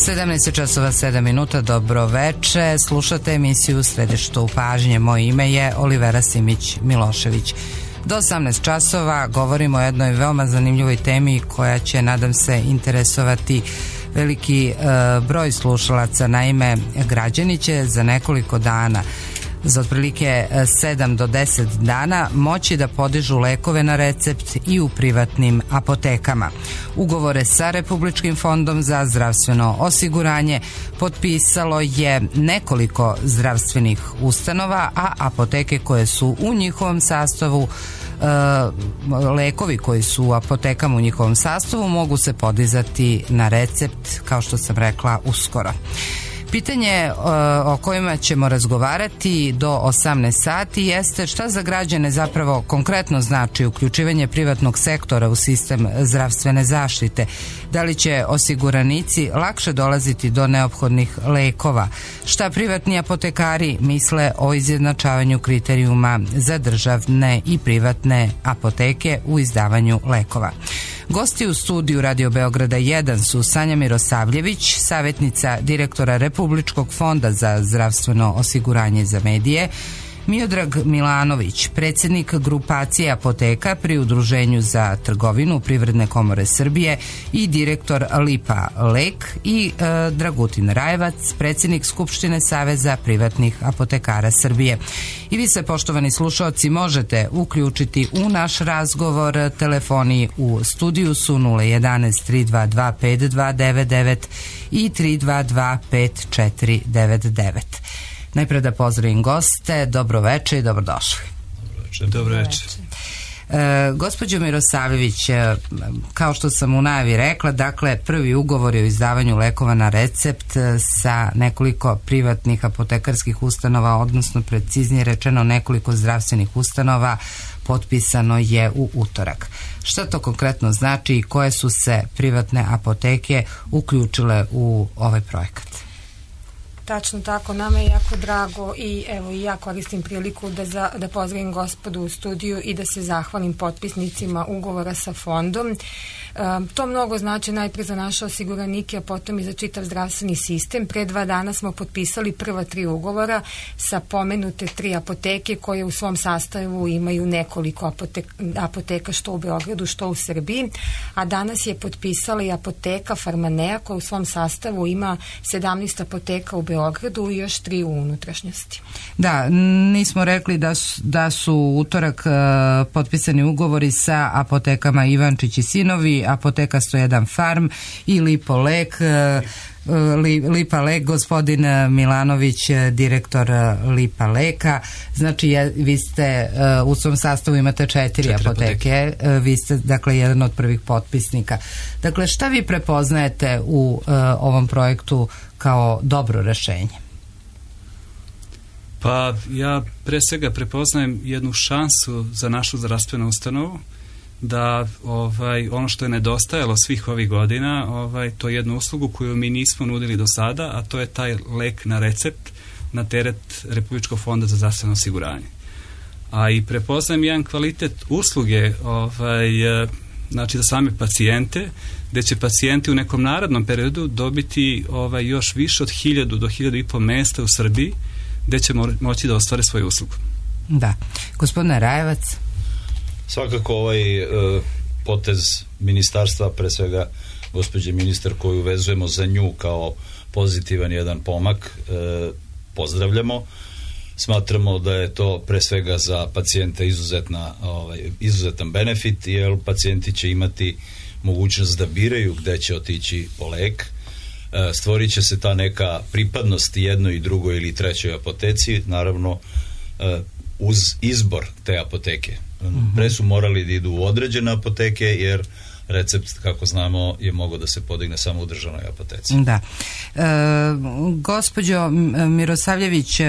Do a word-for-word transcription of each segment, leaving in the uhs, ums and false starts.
sedamnaest časova sedam minuta, dobro veče. Slušate emisiju Središte u pažnje. Moje ime je Olivera Simić Milošević. Do osamnaest časova govorimo o jednoj veoma zanimljivoj temi koja će, nadam se, interesovati veliki e, broj slušalaca. Naime, građani će za nekoliko dana, za otprilike sedam do deset dana, moći da podižu lekove na recept i u privatnim apotekama. Ugovore sa Republičkim fondom za zdravstveno osiguranje potpisalo je nekoliko zdravstvenih ustanova, a apoteke koje su u njihovom sastavu, lekovi koji su u apotekama u njihovom sastavu mogu se podizati na recept, kao što sam rekla, uskoro. Pitanje o kojima ćemo razgovarati do osamnaest sati jeste šta za građane zapravo konkretno znači uključivanje privatnog sektora u sistem zdravstvene zaštite. Da li će osiguranici lakše dolaziti do neophodnih lekova? Šta privatni apotekari misle o izjednačavanju kriterijuma za državne i privatne apoteke u izdavanju lekova? Gosti u studiju Radio Beograda jedan su Sanja Mirosavljević, savjetnica direktora Republičkog fonda za zdravstveno osiguranje za medije, Miodrag Milanović, predsjednik grupacije apoteka pri Udruženju za trgovinu Privredne komore Srbije i direktor Lipa Lek, i e, Dragutin Rajevac, predsjednik Skupštine Saveza privatnih apotekara Srbije. I vi se, poštovani slušaoci, možete uključiti u naš razgovor. Telefoni u studiju su nula jedanaest tri dva dva pet dva devet devet i tri dva dva pet četiri devet devet. Najpre da pozdravim goste, dobro veče i dobrodošli. Dobro veče. E, gospođo Mirosavljević, kao što sam u najavi rekla, dakle, prvi ugovor je o izdavanju lekova na recept sa nekoliko privatnih apotekarskih ustanova, odnosno preciznije rečeno nekoliko zdravstvenih ustanova, potpisano je u utorak. Šta to konkretno znači i koje su se privatne apoteke uključile u ovaj projekat? Tačno tako, nama je jako drago i evo i ja koristim priliku da, za, da pozdravim gospodu u studiju i da se zahvalim potpisnicima ugovora sa fondom. E, to mnogo znači najprije za naše osiguranike, a potom i za čitav zdravstveni sistem. Pre dva dana smo potpisali prva tri ugovora sa pomenute tri apoteke koje u svom sastavu imaju nekoliko apoteka, apoteka što u Beogradu, što u Srbiji, a danas je potpisala i apoteka Farmanea koja u svom sastavu ima sedamnaest apoteka u Beogradu Beogradu i još tri u unutrašnjosti. Da, nismo rekli da su, da su utorak uh, potpisani ugovori sa apotekama Ivančić i sinovi, apoteka sto jedan Farm i Lipo Lek, uh, Lipa Lek, gospodin Milanović, direktor Lipa Leka. Znači, je, vi ste uh, u svom sastavu imate četiri, četiri apoteke, apoteke. Uh, vi ste, dakle, jedan od prvih potpisnika. Dakle, šta vi prepoznajete u uh, ovom projektu kao dobro rešenje? Pa ja pre svega prepoznajem jednu šansu za našu zdravstvenu ustanovu da ovaj, ono što je nedostajalo svih ovih godina, ovaj, to je jednu uslugu koju mi nismo nudili do sada, a to je taj lek na recept na teret Republičkog fonda za zdravstveno osiguranje. A i prepoznajem jedan kvalitet usluge ovaj, znači za same pacijente, gde će pacijenti u nekom narednom periodu dobiti ovaj, još više od hiljadu do hiljadu i po mesta u Srbiji gde će mo- moći da ostvare svoju uslugu. Da. Gospodine Rajevac? Svakako ovaj e, potez ministarstva, pre svega gospođe ministar koju vezujemo za nju kao pozitivan jedan pomak, e, pozdravljamo. Smatramo da je to pre svega za pacijente izuzetna, ovaj, izuzetan benefit, jer pacijenti će imati mogućnost da biraju gde će otići po lek. E, stvorit će se ta neka pripadnost jednoj i drugoj ili trećoj apoteci, naravno e, uz izbor te apoteke. Mm-hmm. Pre su morali da idu u određene apoteke, jer recept, kako znamo, je mogao da se podigne samo u državnoj apoteci. Da. E, gospođo Mirosavljević,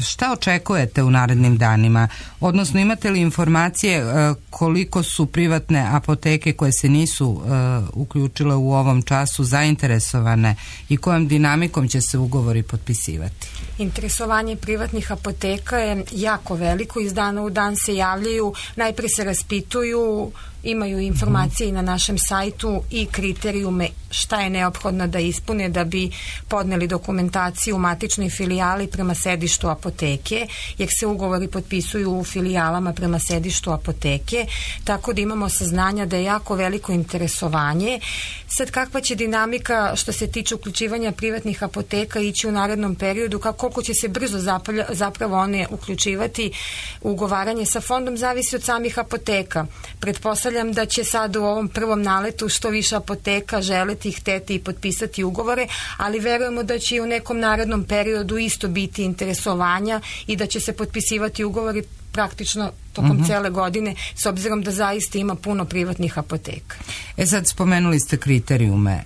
šta očekujete u narednim danima? Odnosno, imate li informacije e, koliko su privatne apoteke koje se nisu e, uključile u ovom času zainteresovane i kojom dinamikom će se ugovori potpisivati? Interesovanje privatnih apoteka je jako veliko, iz dana u dan se javljaju, najprije se raspituju imaju informacije i na našem sajtu i kriterijume šta je neophodno da ispune da bi podneli dokumentaciju u matičnoj filijali prema sedištu apoteke, jer se ugovori potpisuju u filijalama prema sedištu apoteke, tako da imamo saznanja da je jako veliko interesovanje. Sad, kakva će dinamika što se tiče uključivanja privatnih apoteka ići u narednom periodu, kako, koliko će se brzo zapalja, zapravo one uključivati u ugovaranje sa fondom, zavisi od samih apoteka. Pretpostavljam da će sad u ovom prvom naletu što više apoteka želeti, hteti i potpisati ugovore, ali verujemo da će i u nekom narednom periodu isto biti interesovanja i da će se potpisivati ugovori praktično tokom uh-huh. cele godine, s obzirom da zaista ima puno privatnih apoteka. E sad, spomenuli ste kriterijume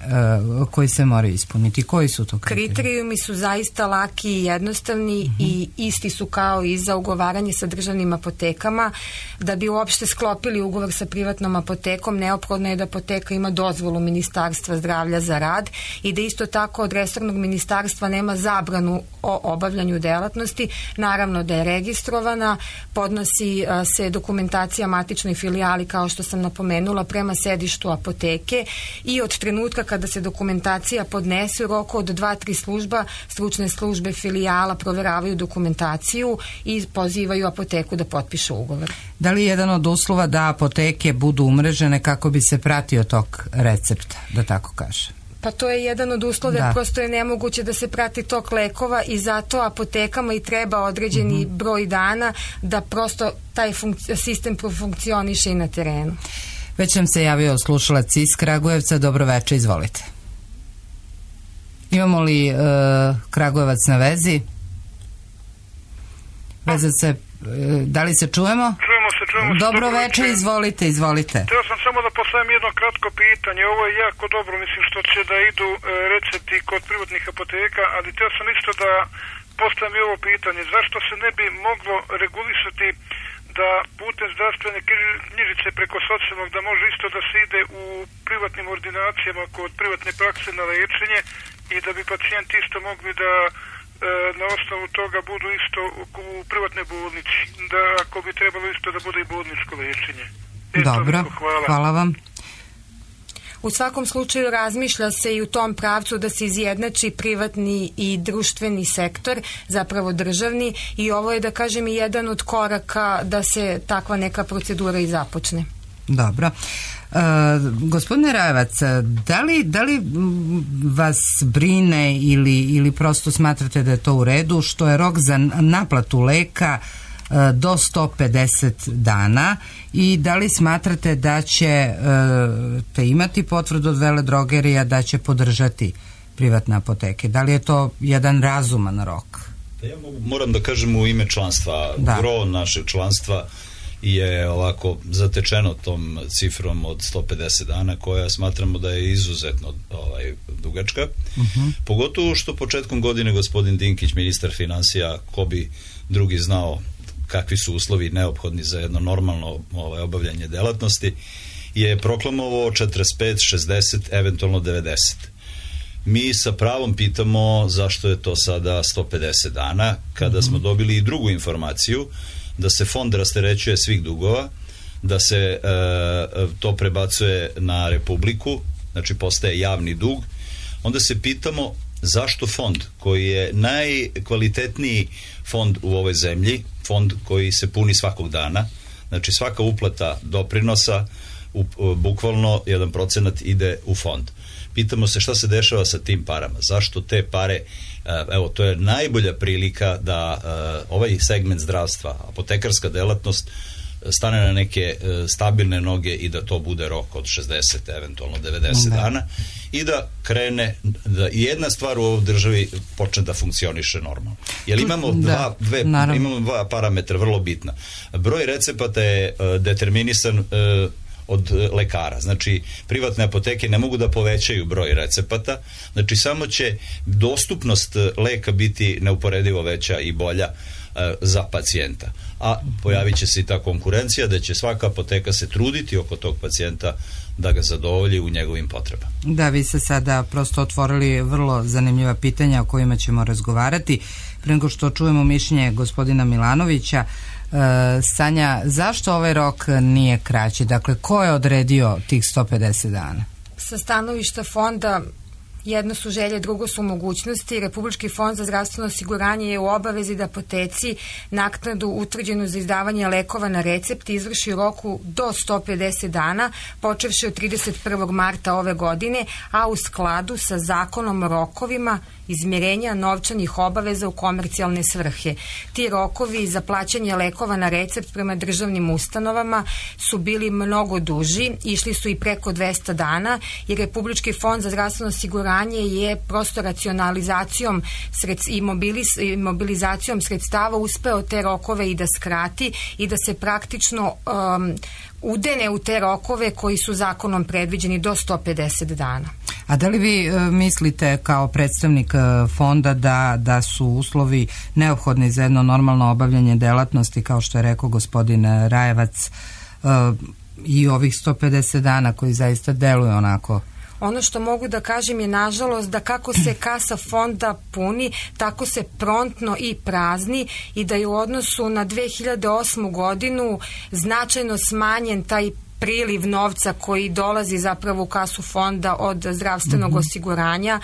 uh, koji se moraju ispuniti. Koji su to kriterijumi? Kriterijumi su zaista laki i jednostavni uh-huh. i isti su kao i za ugovaranje sa državnim apotekama. Da bi uopšte sklopili ugovor sa privatnom apotekom, neophodno je da apoteka ima dozvolu Ministarstva zdravlja za rad i da isto tako od resornog ministarstva nema zabranu o obavljanju delatnosti. Naravno da je registrovana, podnosi uh, se dokumentacija matičnoj filijali, kao što sam napomenula, prema sedištu apoteke i od trenutka kada se dokumentacija podnese u roku od dva tri služba, stručne službe filijala proveravaju dokumentaciju i pozivaju apoteku da potpiše ugovor. Da li je jedan od uslova da apoteke budu umrežene kako bi se pratio tok recepta, da tako kaže? Pa to je jedan od uslova, da. Prosto je nemoguće da se prati tok lekova i zato apotekama i treba određeni mm-hmm. broj dana da prosto taj funkci- sistem profunkcioniše i na terenu. Već nam se javio slušalac iz Kragujevca. Dobro večer, izvolite. Imamo li uh, Kragujevac na vezi? Veza se, uh, da li se čujemo? Čujemo se, čujemo se. Dobro večer, izvolite, izvolite. Htio sam samo da postavim jedno kratko pitanje. Ovo je jako dobro, mislim, što će da idu e, recepti kod privatnih apoteka, ali htio sam isto da postavim i ovo pitanje. Zašto se ne bi moglo regulisati da putem zdravstvene knjižice preko socijalnog da može isto da se ide u privatnim ordinacijama kod privatne prakse na lečenje i da bi pacijenti isto mogli da na osnovu toga budu isto u privatnoj bolnici, da ako bi trebalo isto da bude i bolničko lečenje. Dobro, hvala. hvala vam. U svakom slučaju razmišlja se i u tom pravcu da se izjednači privatni i društveni sektor, zapravo državni, i ovo je, da kažem, i jedan od koraka da se takva neka procedura i započne. Dobro. Uh, gospodine Rajevac, da li, da li vas brine ili, ili prosto smatrate da je to u redu što je rok za naplatu leka uh, do sto pedeset dana i da li smatrate da će uh, te imati potvrdu od veledrogerija da će podržati privatne apoteke? Da li je to jedan razuman rok? Ja mogu, moram da kažem u ime članstva, da. Gro našeg članstva je ovako zatečeno tom cifrom od sto pedeset dana, koja smatramo da je izuzetno ovaj, dugačka. Uh-huh. Pogotovo što početkom godine gospodin Dinkić, ministar finansija, ko bi drugi znao kakvi su uslovi neophodni za jedno normalno ovaj, obavljanje delatnosti, je proklamovao četrdeset pet, šezdeset, eventualno devedeset. Mi sa pravom pitamo zašto je to sada sto pedeset dana, kada uh-huh. smo dobili i drugu informaciju da se fond rasterećuje svih dugova, da se e, to prebacuje na Republiku, znači postaje javni dug, onda se pitamo zašto fond koji je najkvalitetniji fond u ovoj zemlji, fond koji se puni svakog dana, znači svaka uplata doprinosa, u, bukvalno jedan procenat ide u fond. Pitamo se šta se dešava sa tim parama, zašto te pare, evo, to je najbolja prilika da uh, ovaj segment zdravstva, apotekarska delatnost, stane na neke uh, stabilne noge i da to bude rok od šezdeset, eventualno devedeset dana i da krene, da jedna stvar u ovoj državi počne da funkcioniše normalno. Jer imamo da, dva, dve, imamo dva parametra vrlo bitna. Broj recepata je uh, determinisan uh, od lekara. Znači, privatne apoteke ne mogu da povećaju broj recepata, znači samo će dostupnost leka biti neuporedivo veća i bolja e, za pacijenta. A pojavit će se i ta konkurencija da će svaka apoteka se truditi oko tog pacijenta da ga zadovolji u njegovim potrebama. Da, vi ste sada prosto otvorili vrlo zanimljiva pitanja o kojima ćemo razgovarati. Pre nego što čujemo mišljenje gospodina Milanovića, Sanja, zašto ovaj rok nije kraći? Dakle, ko je odredio tih sto pedeset dana? Sa stanovišta fonda jedno su želje, drugo su mogućnosti. Republički fond za zdravstveno osiguranje je u obavezi da apoteci naknadu utvrđenu za izdavanje lekova na recept izvrši u roku do sto pedeset dana, počevši od trideset prvog marta ove godine, a u skladu sa zakonom o rokovima izmirenja novčanih obaveza u komercijalne svrhe. Ti rokovi za plaćanje lekova na recept prema državnim ustanovama su bili mnogo duži, išli su i preko dvesta dana, jer Republički fond za zdravstveno osiguranje je prosto racionalizacijom i mobilizacijom sredstava uspeo te rokove i da skrati i da se praktično um, udene u te rokove koji su zakonom predviđeni do sto pedeset dana. A da li vi uh, mislite kao predstavnik uh, fonda da, da su uslovi neophodni za jedno normalno obavljanje delatnosti, kao što je rekao gospodin Rajevac, uh, i ovih sto pedeset dana koji zaista deluju onako? Ono što mogu da kažem je, nažalost, da kako se kasa fonda puni, tako se prontno i prazni i da je u odnosu na dve hiljade osmu godinu značajno smanjen taj priliv novca koji dolazi zapravo u kasu fonda od zdravstvenog mm-hmm. osiguranja.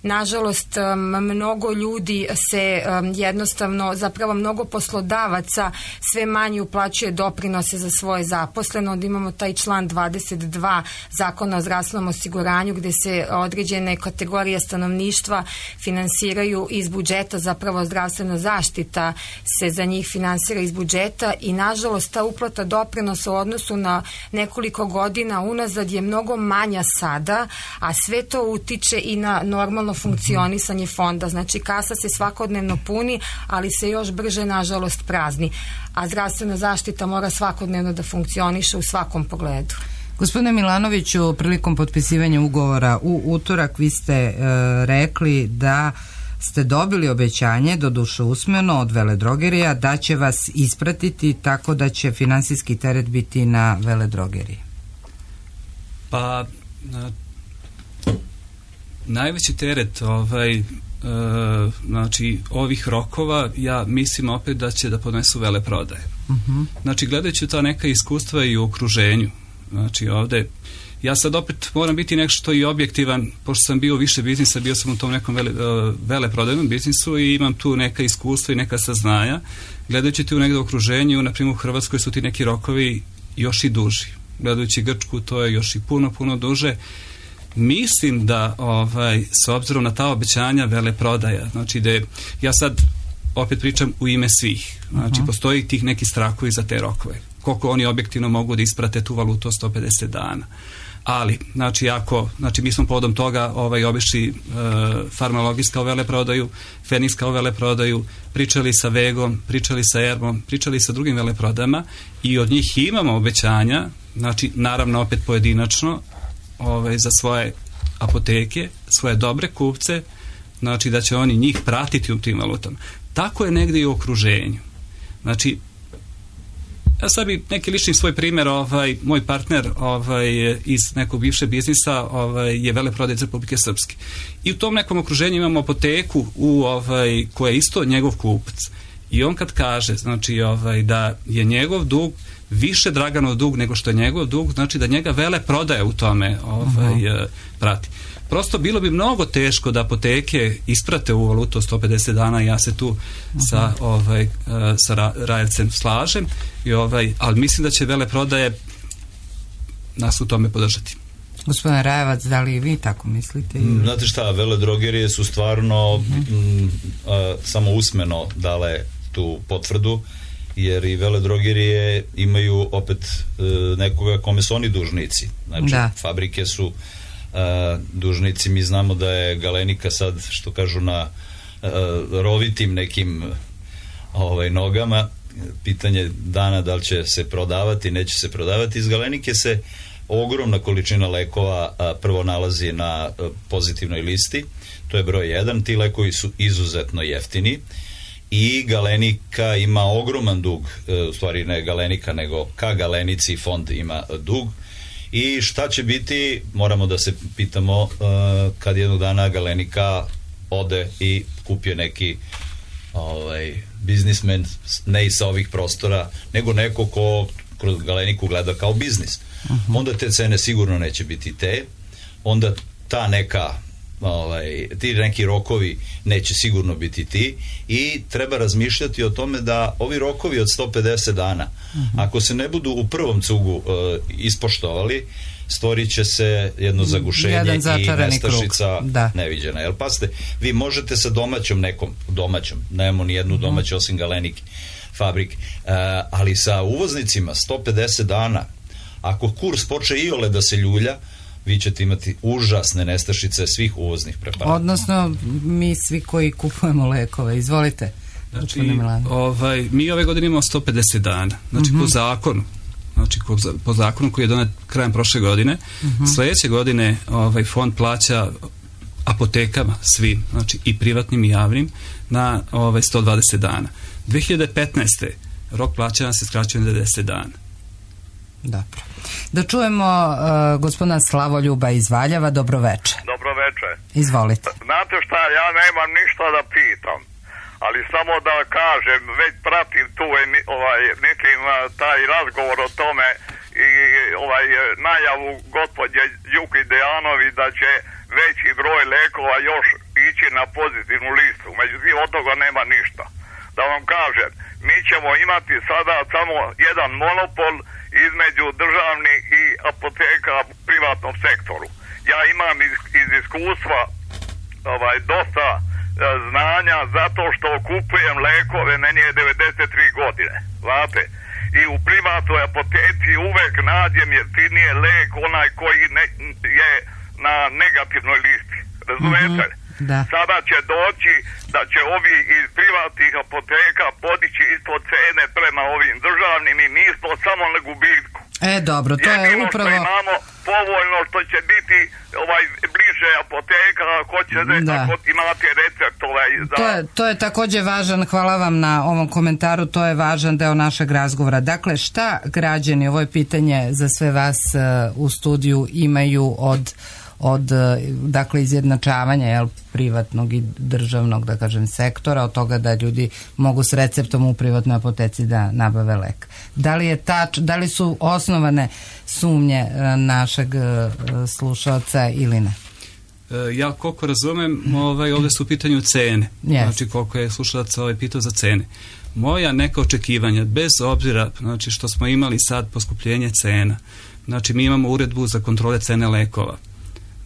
Nažalost, mnogo ljudi se jednostavno, zapravo mnogo poslodavaca sve manje uplaćuje doprinose za svoje zaposlene. Onda imamo taj član dvadeset dva Zakona o zdravstvenom osiguranju gde se određene kategorije stanovništva finansiraju iz budžeta, zapravo zdravstvena zaštita se za njih finansira iz budžeta i nažalost ta uplata doprinosa u odnosu na nekoliko godina unazad je mnogo manja sada, a sve to utiče i na normalno funkcionisanje fonda. Znači, kasa se svakodnevno puni, ali se još brže, nažalost, prazni. A zdravstvena zaštita mora svakodnevno da funkcioniše u svakom pogledu. Gospodine Milanoviću, prilikom potpisivanja ugovora u utorak vi ste e, rekli da ste dobili obećanje, doduše usmeno, od veledrogerija da će vas ispratiti tako da će finansijski teret biti na veledrogeriji. Pa na, najveći teret ovaj, e, znači ovih rokova, ja mislim opet da će da podnesu veleprodaje. Uh-huh. Znači, gledajući ta neka iskustva i u okruženju, znači ovde ja sad opet moram biti nešto i objektivan, pošto sam bio više biznisa, bio sam u tom nekom vele, uh, veleprodajnom biznisu i imam tu neka iskustva i neka saznanja. Gledajući ti u negde okruženju, na primjer u Hrvatskoj su ti neki rokovi još i duži. Gledajući Grčku, to je još i puno, puno duže. Mislim da, ovaj, s obzirom na ta obećanja veleprodaja, znači da je, ja sad opet pričam u ime svih, znači uh-huh. postoji tih neki strahovi za te rokove. Koliko oni objektivno mogu da isprate tu valutu od sto pedeset dana. Ali, znači, ako, znači, mi smo povodom toga ovaj, obišli e, Farmalogis kao veleprodaju, Feniks kao veleprodaju, pričali sa Vegom, pričali sa Ermom, pričali sa drugim veleprodajama i od njih imamo obećanja, znači, naravno opet pojedinačno, ovaj, za svoje apoteke, svoje dobre kupce, znači da će oni njih pratiti u tim valutama. Tako je negdje i u okruženju. Znači, ja sad bi neki lični svoj primjer, ovaj, moj partner ovaj, iz nekog bivše biznisa ovaj, je veleprodaj iz Republike Srpske. I u tom nekom okruženju imamo apoteku u, ovaj, koja je isto njegov kupac. I on kad kaže, znači, ovaj, da je njegov dug više Draganov dug nego što je njegov dug, znači da njega veleprodaja u tome ovaj, uh-huh. prati. Prosto bilo bi mnogo teško da apoteke isprate u valutu sto pedeset dana, ja se tu uh-huh. sa, ovaj, sa Rajevcem slažem, i, ovaj, ali mislim da će veleprodaje nas u tome podržati. Gospodine Rajevac, da li vi tako mislite? Znate šta, veledrogerije su stvarno uh-huh. m, a, samo usmeno dale tu potvrdu, jer i veledrogerije imaju opet e, nekoga kome su oni dužnici. Znači, da. Fabrike su e, dužnici. Mi znamo da je Galenika sad, što kažu, na e, rovitim nekim ovaj, nogama. Pitanje dana da li će se prodavati, neće se prodavati. Iz Galenike se ogromna količina lekova a, prvo nalazi na a, pozitivnoj listi. To je broj jedan. Ti lekovi su izuzetno jeftini. I Galenika ima ogroman dug, u stvari ne Galenika, nego ka Galenici fond ima dug. I šta će biti, moramo da se pitamo kad jednog dana Galenika ode i kupio neki ovaj, biznismen, ne i sa ovih prostora, nego neko ko kroz Galeniku gleda kao biznis. Uh-huh. Onda te cene sigurno neće biti te, onda ta neka ovaj, ti neki rokovi neće sigurno biti ti i treba razmišljati o tome da ovi rokovi od sto pedeset dana, uh-huh. ako se ne budu u prvom cugu uh, ispoštovali, stvorit će se jedno zagušenje i nestašica neviđena. Jel, pasite, vi možete sa domaćom nekom, domaćom, nemamo ni jednu domaću osim Galenike fabrik, uh, ali sa uvoznicima sto pedeset dana, ako kurs poče iole da se ljulja, vi ćete imati užasne nestašice svih uvoznih preparata. Odnosno, mi svi koji kupujemo lekove. Izvolite. Znači, ovaj, mi ove godine imamo sto pedeset dana. Znači, uh-huh. po zakonu, znači po zakonu koji je donet krajem prošle godine, uh-huh. sledeće godine ovaj fond plaća apotekama svim, znači i privatnim i javnim, na ovaj sto dvadeset dana. dve hiljade petnaeste. rok plaćanja se skraćuje na devedeset dana. Dobro. Da čujemo uh, gospodina Slavoljuba iz Valjeva. Dobroveče. Dobroveče. Izvolite. Znate šta, ja nemam ništa da pitam, ali samo da kažem, već pratim tu ovaj, nekim taj razgovor o tome i ovaj najavu gospođe Đuki Dejanovi da će veći broj lekova još ići na pozitivnu listu. Međutim, od toga nema ništa. Da vam kažem, mi ćemo imati sada samo jedan monopol između državnih i apoteka u privatnom sektoru. Ja imam iz, iz iskustva ovaj, dosta e, znanja zato što kupujem lekove, meni je devedeset tri godine, znate. I u privatnoj apoteci uvek nađem jeftinije lek, onaj koji ne, je na negativnoj listi. Razumete? Mm-hmm. Da. Sada će doći da će ovi iz privatnih apoteka podići ispod cene prema ovim državnim i mi smo samo na gubitku. E, dobro, to je Jedino upravo... što imamo povoljno što će biti ovaj bliže apoteka, ako ćete, da. Ako imate recept ovaj za... To je, to je takođe važan, hvala vam na ovom komentaru, to je važan deo našeg razgovora. Dakle, šta građani, ovo je pitanje za sve vas uh, u studiju, imaju od od, dakle, izjednačavanja, jel, privatnog i državnog, da kažem, sektora, od toga da ljudi mogu s receptom u privatnoj apoteci da nabave lek. Da li je tač, da li su osnovane sumnje našeg slušalca ili ne? Ja koliko razumem, ovaj, ovde su u pitanju cene. Yes. Znači, koliko je slušalac ovaj pitao za cene. Moja neka očekivanja, bez obzira, znači, što smo imali sad poskupljenje cena, znači, mi imamo uredbu za kontrole cene lekova.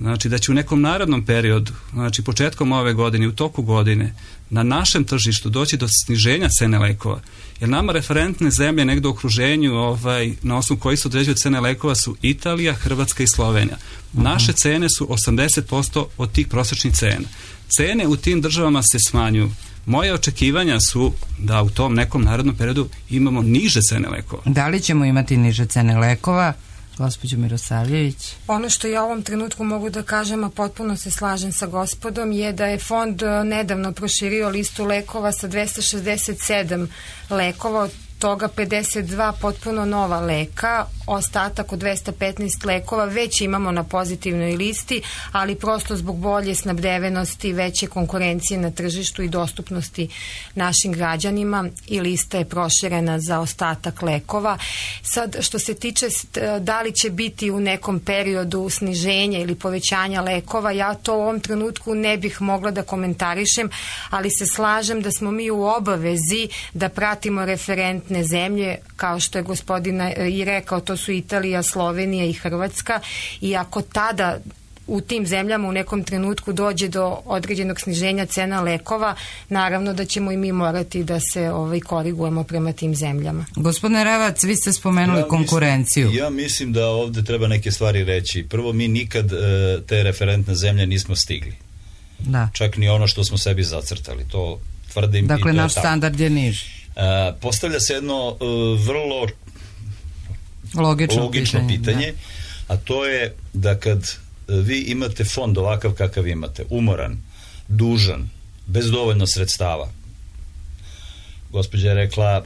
Znači da će u nekom narednom periodu, znači početkom ove godine, u toku godine, na našem tržištu doći do sniženja cene lekova. Jer nama referentne zemlje negde u okruženju, ovaj, na osnovu koji se određuju cene lekova, su Italija, Hrvatska i Slovenija. Naše cene su osamdeset posto od tih prosječnih cena. Cene u tim državama se smanjuju. Moje očekivanja su da u tom nekom narednom periodu imamo niže cene lekova. Da li ćemo imati niže cene lekova? Gospođo Mirosavljević. Ono što ja u ovom trenutku mogu da kažem, a potpuno se slažem sa gospodom, je da je fond nedavno proširio listu lekova sa dvesta šezdeset sedam lekova, od toga pedeset dva potpuno nova leka, ostatak od dvesta petnaest lekova već imamo na pozitivnoj listi, ali prosto zbog bolje snabdevenosti, veće konkurencije na tržištu i dostupnosti našim građanima i lista je proširena za ostatak lekova. Sad, što se tiče da li će biti u nekom periodu sniženja ili povećanja lekova, ja to u ovom trenutku ne bih mogla da komentarišem, ali se slažem da smo mi u obavezi da pratimo referentne zemlje, kao što je gospodina i rekao, to su Italija, Slovenija i Hrvatska, i ako tada u tim zemljama u nekom trenutku dođe do određenog sniženja cena lekova, naravno da ćemo i mi morati da se ovaj, korigujemo prema tim zemljama. Gospodine Ravac, vi ste spomenuli ja konkurenciju. Mislim, ja mislim da ovde treba neke stvari reći. Prvo, mi nikad e, te referentne zemlje nismo stigli. Da. Čak ni ono što smo sebi zacrtali. To tvrdim. Dakle, i to naš je standard je niži. E, postavlja se jedno e, vrlo logično, logično pitanje, pitanje da. A to je da kad vi imate fond ovakav kakav imate, umoran, dužan, bez dovoljno sredstava, gospođa je rekla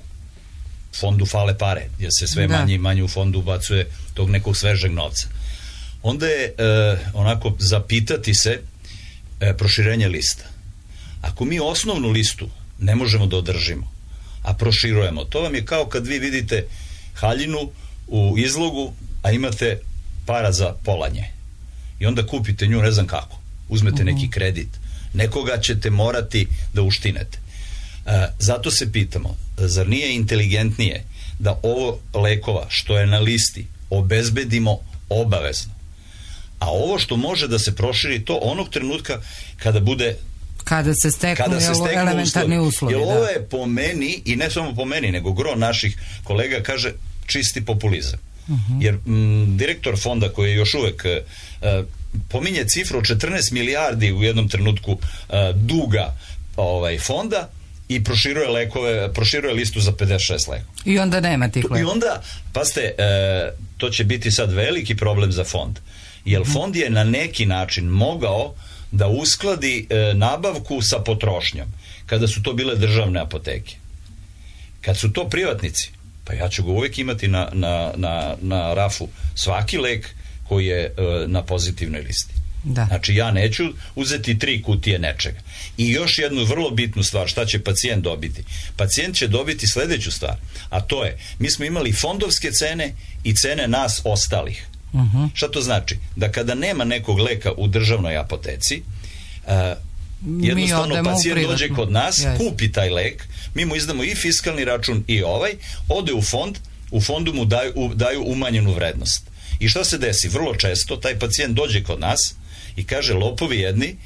fondu fale pare, jer se sve da. manje i manje u fondu ubacuje tog nekog svežeg novca, onda je e, onako zapitati se e, proširenje lista. Ako mi osnovnu listu ne možemo da održimo, a proširujemo. To vam je kao kad vi vidite haljinu u izlogu, a imate para za polanje. I onda kupite nju, ne znam kako. Uzmete neki kredit. Nekoga ćete morati da uštinete. E, zato se pitamo, zar nije inteligentnije da ovo lekova što je na listi obezbedimo obavezno? A ovo što može da se proširi, to onog trenutka kada bude kada se steknu, kada se steknu elementarni uslovi, uslovi jer da. Ovo je po meni, i ne samo po meni, nego gro naših kolega kaže čisti populizam. Uh-huh. Jer m, direktor fonda koji je još uvek uh, pominje cifru od četrnaest milijardi u jednom trenutku uh, duga ovaj, fonda i proširuje lekove, proširuje listu za pedeset šest lekova. I onda nema tih lekova. I onda, pazite, uh, to će biti sad veliki problem za fond. Jer uh-huh. fond je na neki način mogao da uskladi e, nabavku sa potrošnjom, kada su to bile državne apoteke. Kad su to privatnici, pa ja ću ga uvijek imati na, na, na, na rafu svaki lek koji je e, na pozitivnoj listi. Da. Znači ja neću uzeti tri kutije nečega. I još jednu vrlo bitnu stvar, šta će pacijent dobiti? Pacijent će dobiti sledeću stvar, a to je, mi smo imali fondovske cene i cene nas ostalih. Uh-huh. Šta to znači? Da kada nema nekog leka u državnoj apoteci, uh, jednostavno pacijent dođe kod nas, yes. kupi taj lek, mi mu izdamo i fiskalni račun i ovaj, ode u fond, u fondu mu daju, u, daju umanjenu vrednost. I šta se desi? Vrlo često taj pacijent dođe kod nas i kaže, lopovi jedni,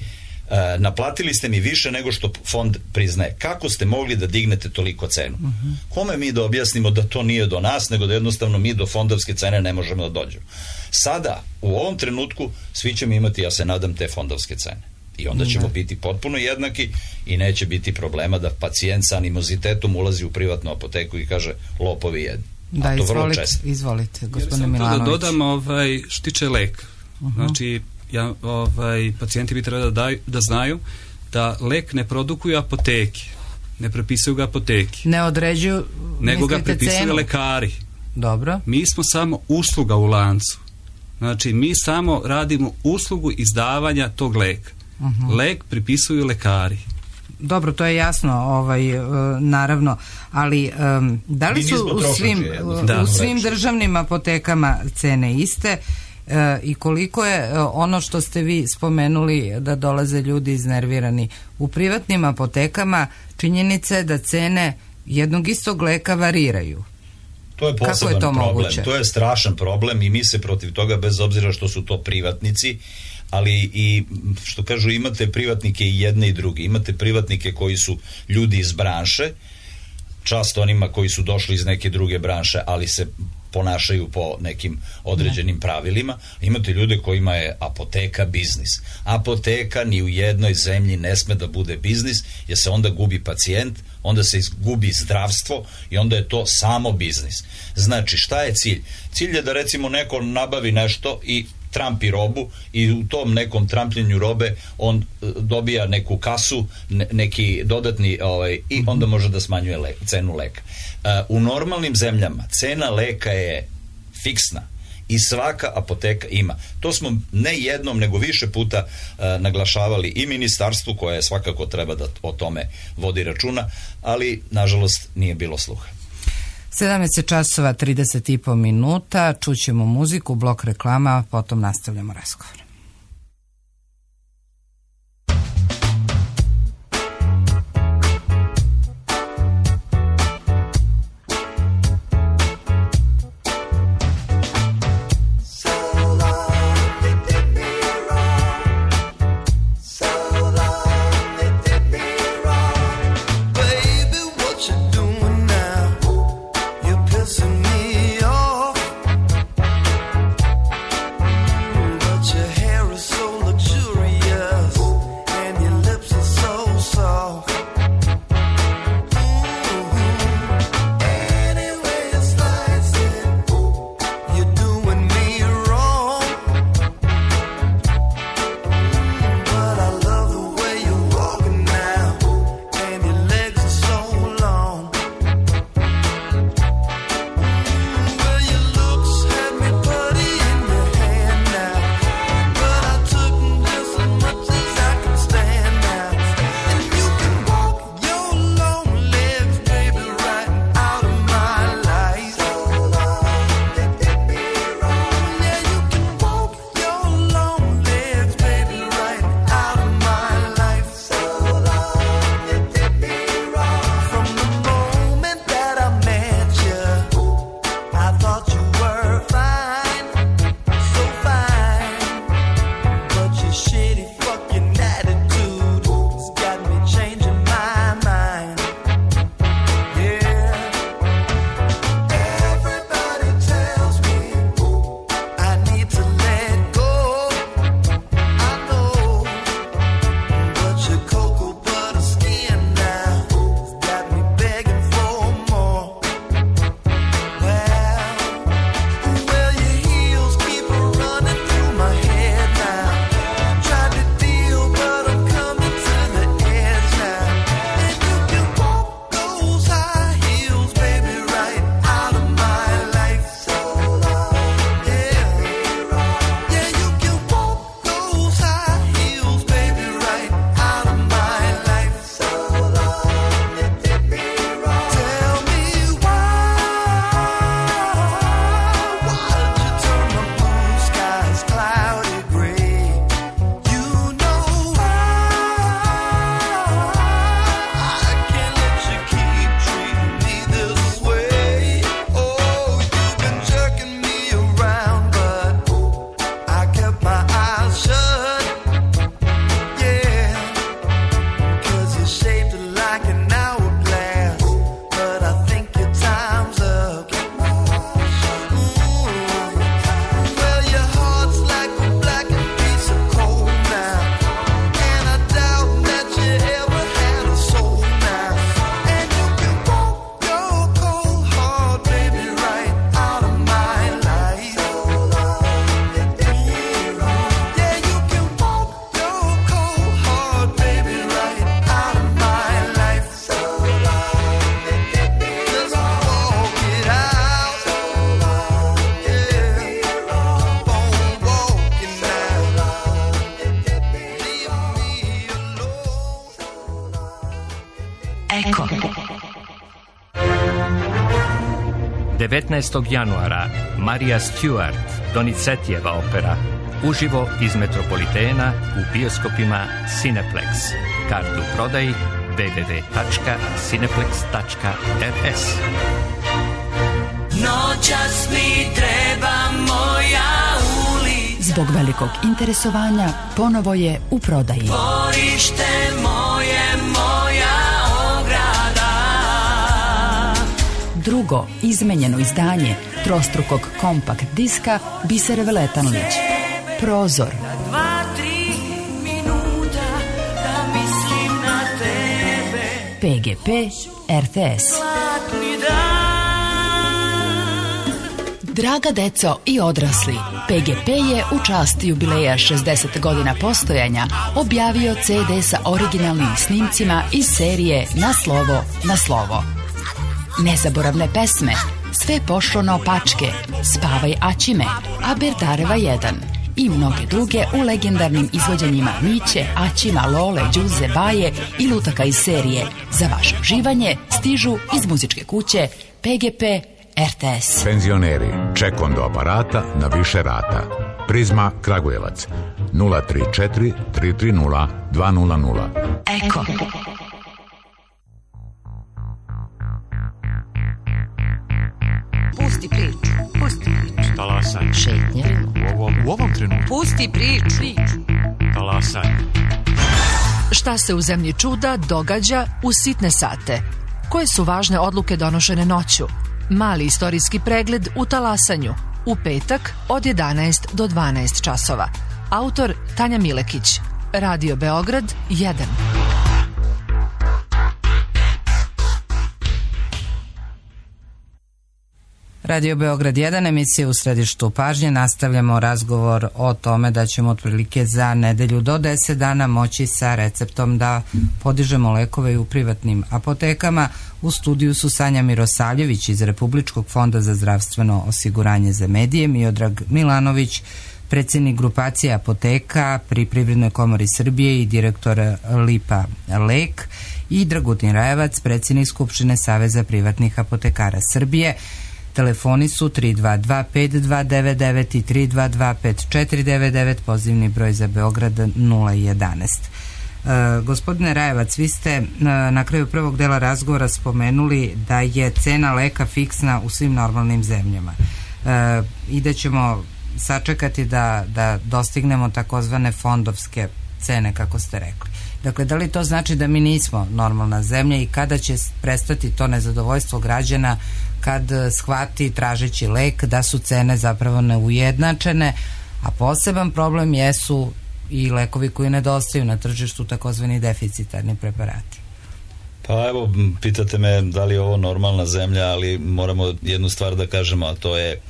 Uh, naplatili ste mi više nego što fond priznaje. Kako ste mogli da dignete toliko cenu? Uh-huh. Kome mi da objasnimo da to nije do nas, nego da jednostavno mi do fondovske cene ne možemo da dođemo? Sada, u ovom trenutku, svi ćemo imati, ja se nadam, te fondovske cene. I onda ćemo uh-huh. biti potpuno jednaki i neće biti problema da pacijent sa animozitetom ulazi u privatnu apoteku i kaže, lopovi jedni. Da, A to izvolite, vrlo često. Izvolite, gospodine Milanović. Da dodam ovaj, što tiče lek. Uh-huh. Znači, Ja, ovaj, pacijenti bi trebali da, daju, da znaju da lek ne produkuju apoteke, ne prepisuju ga apoteke, ne određuju, nego ga prepisuju cenu. lekari. Dobro. Mi smo samo usluga u lancu. Znači mi samo radimo uslugu izdavanja tog leka. Uh-huh. Lek pripisuju lekari. Dobro, to je jasno, ovaj, uh, naravno, ali um, da li su u svim, da. u svim državnim apotekama cene iste? E, i koliko je e, ono što ste vi spomenuli da dolaze ljudi iznervirani u privatnim apotekama, činjenica je da cene jednog istog leka variraju. To je poseban je to problem, moguće? To je strašan problem i mi se protiv toga, bez obzira što su to privatnici, ali i što kažu, imate privatnike i jedne i druge, imate privatnike koji su ljudi iz branše, čast onima koji su došli iz neke druge branše, ali se ponašaju po nekim određenim pravilima. Imate ljude kojima je apoteka biznis. Apoteka ni u jednoj zemlji ne sme da bude biznis, jer se onda gubi pacijent, onda se gubi zdravstvo i onda je to samo biznis. Znači, šta je cilj? Cilj je da recimo neko nabavi nešto i trampi robu i u tom nekom trampljenju robe on dobija neku kasu, ne, neki dodatni ovaj, i onda može da smanjuje le, cenu leka. Uh, u normalnim zemljama cena leka je fiksna i svaka apoteka ima. To smo ne jednom nego više puta uh, naglašavali i ministarstvu, koje svakako treba da o tome vodi računa, ali nažalost nije bilo sluha. sedamnaest časova trideset i po minuta, čućemo muziku, blok reklama, potom nastavljamo razgovor. Your Eko. devetnaestog januara Marija Stewart, Donizetijeva opera, uživo iz Metropolitena u bioskopima Cineplex. Kartu u prodaji w w w tačka cineplex tačka r s. Noćas mi treba moja ulica. Zbog velikog interesovanja ponovo je u prodaji. Dvorište moje, moja ograda. Drugo izmenjeno izdanje trostrukog kompakt diska Bisere Veletanlić. Prozor. Dva, tri minuta da mislim na tebe. P G P R T S. Draga deco i odrasli, P G P je u čast jubileja šezdeset godina postojanja objavio ce de sa originalnim snimcima iz serije Na slovo, na slovo. Nezaboravne pesme, Sve pošlo naopačke, Spavaj Aćime, Aberdareva jedan i mnoge druge u legendarnim izvođenjima Miće, Aćima, Lole, Đuze, Baje i lutaka iz serije. Za vaše uživanje stižu iz muzičke kuće P G P R T S. Penzioneri, ček do aparata na više rata. Prizma Kragujevac nula tri četiri tri tri nula dva nula nula. Eko. Pusti priču, pusti priču. Talasaj. Šetnja. U ovom, u ovom trenutku. Pusti priču. priču. Talasaj. Šta se u zemlji čuda događa u sitne sate? Koje su važne odluke donošene noću? Mali istorijski pregled u Talasanju. U petak od jedanaest do dvanaest časova. Autor Tanja Milekić. Radio Beograd jedan. Radio Beograd jedan, emisija u središtu pažnje. Nastavljamo razgovor o tome da ćemo otprilike za nedelju do deset dana moći sa receptom da podižemo lekove i u privatnim apotekama. U studiju su Sanja Mirosavljević iz Republičkog fonda za zdravstveno osiguranje za medije, Miodrag Milanović, predsjednik grupacije apoteka pri Privrednoj komori Srbije i direktor Lipa Lek, i Dragutin Rajevac, predsjednik Skupštine Saveza privatnih apotekara Srbije. Telefoni su tri dva dva pet dva devet devet i tri dva dva pet četiri devet devet, pozivni broj za Beograd nula jedanaest. E, gospodine Rajevac, vi ste na, na kraju prvog dela razgovora spomenuli da je cena leka fiksna u svim normalnim zemljama e, i da ćemo sačekati da, da dostignemo takozvane fondovske cene, kako ste rekli. Dakle, da li to znači da mi nismo normalna zemlja i kada će prestati to nezadovoljstvo građana kad shvati tražeći lek da su cene zapravo neujednačene, a poseban problem jesu i lekovi koji nedostaju na tržištu, takozvani deficitarni preparati? Pa evo, pitate me da li je ovo normalna zemlja, ali moramo jednu stvar da kažemo, a to je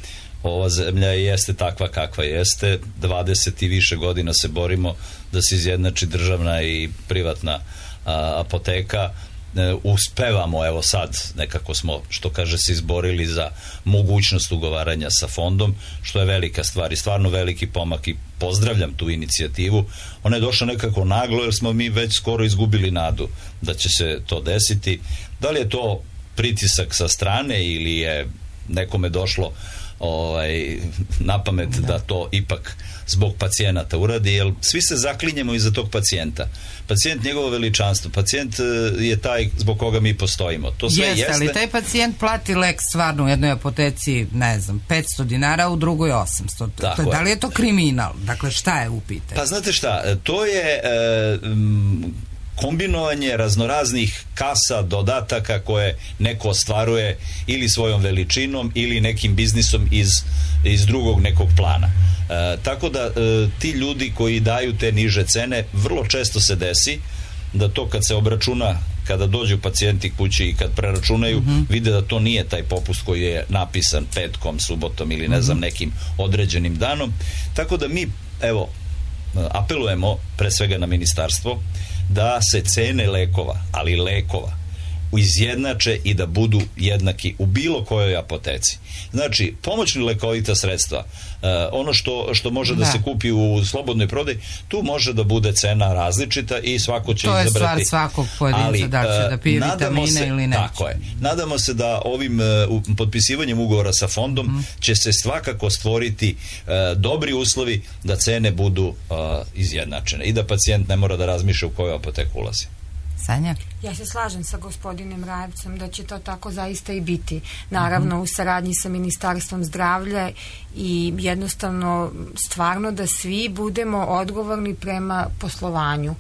ova zemlja jeste takva kakva jeste. dvadeset i više godina se borimo da se izjednači državna i privatna a, apoteka. E, uspevamo, evo sad nekako smo, što kaže, se izborili za mogućnost ugovaranja sa fondom, što je velika stvar i stvarno veliki pomak i pozdravljam tu inicijativu. Ona je došla nekako naglo jer smo mi već skoro izgubili nadu da će se to desiti. Da li je to pritisak sa strane ili je nekome došlo ovaj, na pamet da. da to ipak zbog pacijenata uradi, jer svi se zaklinjemo iza tog pacijenta. Pacijent, njegovo veličanstvo, pacijent je taj zbog koga mi postojimo. To sve jeste, jeste. Ali taj pacijent plati lek stvarno u jednoj apoteci, ne znam, petsto dinara, u drugoj osamsto. Tako da li je to kriminal? Dakle, šta je u pitanju? Pa znate šta, to je e, m, kombinovanje raznoraznih kasa, dodataka koje neko ostvaruje ili svojom veličinom ili nekim biznisom iz, iz drugog nekog plana. E, tako da e, ti ljudi koji daju te niže cene, vrlo često se desi da to kad se obračuna, kada dođu pacijenti kući i kad preračunaju, mm-hmm. vide da to nije taj popust koji je napisan petkom, subotom ili ne znam nekim određenim danom. Tako da mi, evo, apelujemo pre svega na ministarstvo da se cene lekova, ali lekova, izjednače i da budu jednaki u bilo kojoj apoteci. Znači, pomoćni lekovita sredstva, uh, ono što, što može da. da se kupi u slobodnoj prodaji, tu može da bude cena različita i svako će to izabrati. To je stvar svakog pojedinca, ali, da će da pije vitamine se, ili neće. Tako je. Nadamo se da ovim uh, potpisivanjem ugovora sa fondom mm. će se svakako stvoriti uh, dobri uslovi da cene budu uh, izjednačene i da pacijent ne mora da razmišlja u koju apoteku ulazi. Sanja? Ja se slažem sa gospodinem Rajevcem da će to tako zaista i biti. Naravno, u saradnji sa Ministarstvom zdravlja i jednostavno stvarno da svi budemo odgovorni prema poslovanju.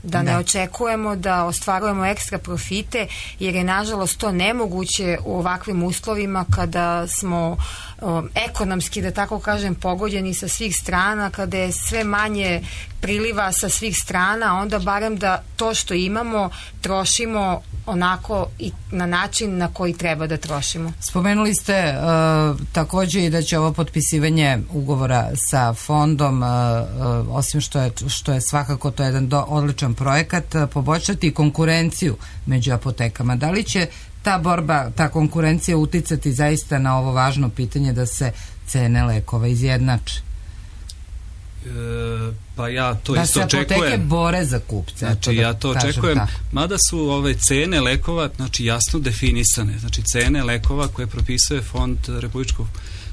Da ne očekujemo da ostvarujemo ekstra profite, jer je nažalost to nemoguće u ovakvim uslovima kada smo o, ekonomski, da tako kažem, pogođeni sa svih strana, kada je sve manje priliva sa svih strana, onda barem da to što imamo trošimo onako i na način na koji treba da trošimo. Spomenuli ste uh, takođe i da će ovo potpisivanje ugovora sa fondom, uh, uh, osim što je, što je svakako to jedan do, odličan projekat, uh, poboljšati konkurenciju među apotekama. Da li će ta borba, ta konkurencija uticati zaista na ovo važno pitanje da se cene lekova izjednače? E, pa ja to da isto očekujem. Da se apoteke bore za kupce. Znači da ja to očekujem, tako. Mada su ove cene lekova znači jasno definisane. Znači cene lekova koje propisuje fond Republičkog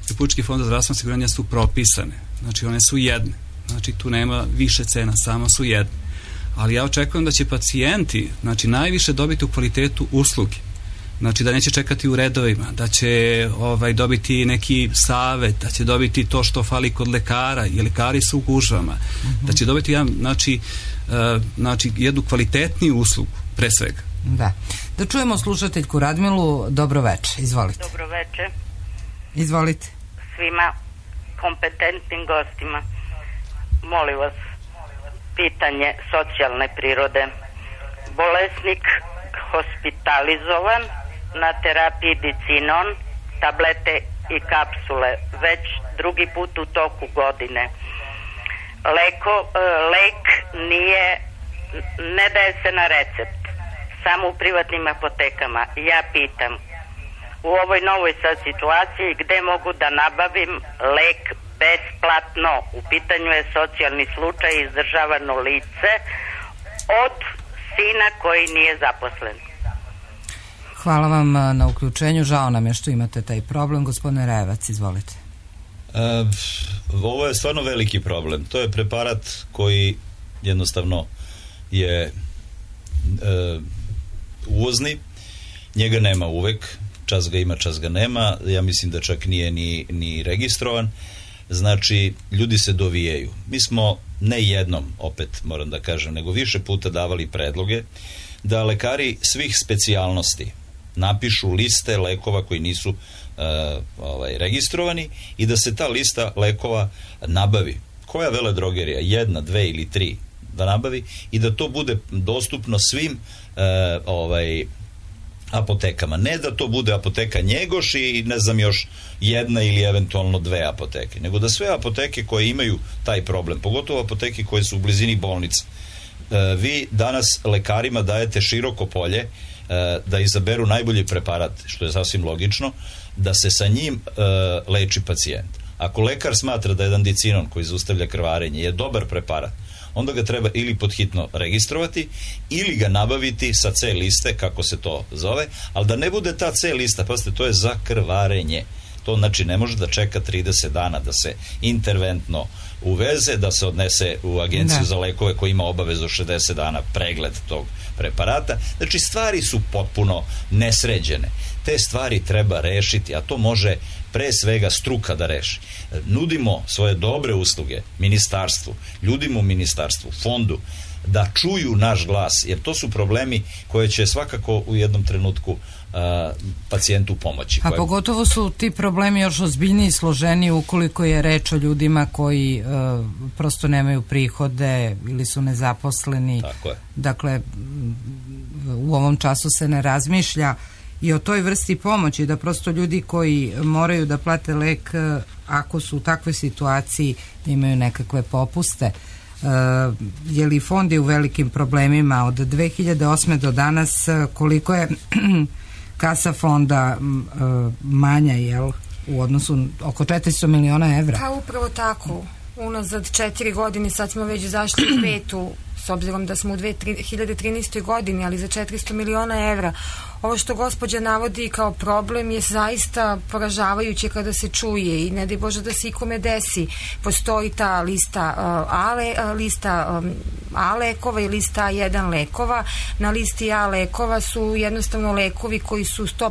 Republički fond za zdravstveno osiguranje su propisane. Znači one su jedne. Znači tu nema više cena, samo su jedne. Ali ja očekujem da će pacijenti znači najviše dobiti u kvalitetu usluge. Znači da neće čekati u redovima, da će ovaj, dobiti neki savet, da će dobiti to što fali kod lekara, i lekari su u gužvama, mm-hmm. da će dobiti jedan, znači, uh, znači jednu kvalitetniju uslugu, pre svega. Da. Da čujemo slušateljku Radmilu. Dobro veče, izvolite. Dobro veče. Izvolite. Svima kompetentnim gostima. Molim vas, pitanje socijalne prirode. Bolesnik hospitalizovan na terapiji dicinon, tablete i kapsule već drugi put u toku godine. Leko, lek nije, ne daje se na recept, samo u privatnim apotekama. Ja pitam, u ovoj novoj sad situaciji gde mogu da nabavim lek besplatno? U pitanju je socijalni slučaj, izdržavano lice od sina koji nije zaposlen. Hvala vam na uključenju. Žao nam je što imate taj problem. Gospodine Rajevac, izvolite. E, ovo je stvarno veliki problem. To je preparat koji jednostavno je e, uvozni. Njega nema uvek. Čas ga ima, čas ga nema. Ja mislim da čak nije ni, ni registrovan. Znači, ljudi se dovijaju. Mi smo ne jednom, opet moram da kažem, nego više puta davali predloge da lekari svih specijalnosti napišu liste lekova koji nisu uh, ovaj, registrovani i da se ta lista lekova nabavi. Koja veledrogerija? Jedna, dve ili tri da nabavi i da to bude dostupno svim uh, ovaj, apotekama. Ne da to bude apoteka Njegoš i ne znam još jedna ili eventualno dve apoteke, nego da sve apoteke koje imaju taj problem, pogotovo apoteke koje su u blizini bolnica, e, vi danas lekarima dajete široko polje e, da izaberu najbolji preparat, što je sasvim logično, da se sa njim e, leči pacijent. Ako lekar smatra da jedan dicinon koji zaustavlja krvarenje je dobar preparat, onda ga treba ili podhitno registrovati ili ga nabaviti sa C liste, kako se to zove, ali da ne bude ta C lista, pazite, to je za krvarenje. To znači ne može da čeka trideset dana da se interventno uveze, da se odnese u agenciju ne. za lekove koja ima obavezu šezdeset dana pregled tog preparata. Znači stvari su potpuno nesređene. Te stvari treba rešiti, a to može pre svega struka da reši. Nudimo svoje dobre usluge ministarstvu, ljudima u ministarstvu, fondu, da čuju naš glas, jer to su problemi koje će svakako u jednom trenutku uh, pacijentu pomoći. A koje... pogotovo su ti problemi još ozbiljniji i složeniji ukoliko je reč o ljudima koji uh, prosto nemaju prihode ili su nezaposleni. Tako je. Dakle, u ovom času se ne razmišlja i o toj vrsti pomoći, da prosto ljudi koji moraju da plate lek, ako su u takvoj situaciji, imaju nekakve popuste. je li fond je u velikim problemima od dve hiljade osme do danas, koliko je kasa fonda manja, jel, u odnosu oko četiristo miliona evra? Pa upravo tako, unazad četiri godine, sad smo već zašli u petu, s obzirom da smo u dve hiljade trinaestoj godini, ali za četiristo miliona evra. Ovo što gospođa navodi kao problem je zaista poražavajuće kada se čuje i ne daj Bože da se ikome desi. Postoji ta lista uh, A, le, lista um, A lekova i lista A jedan lekova. Na listi A lekova su jednostavno lekovi koji su sto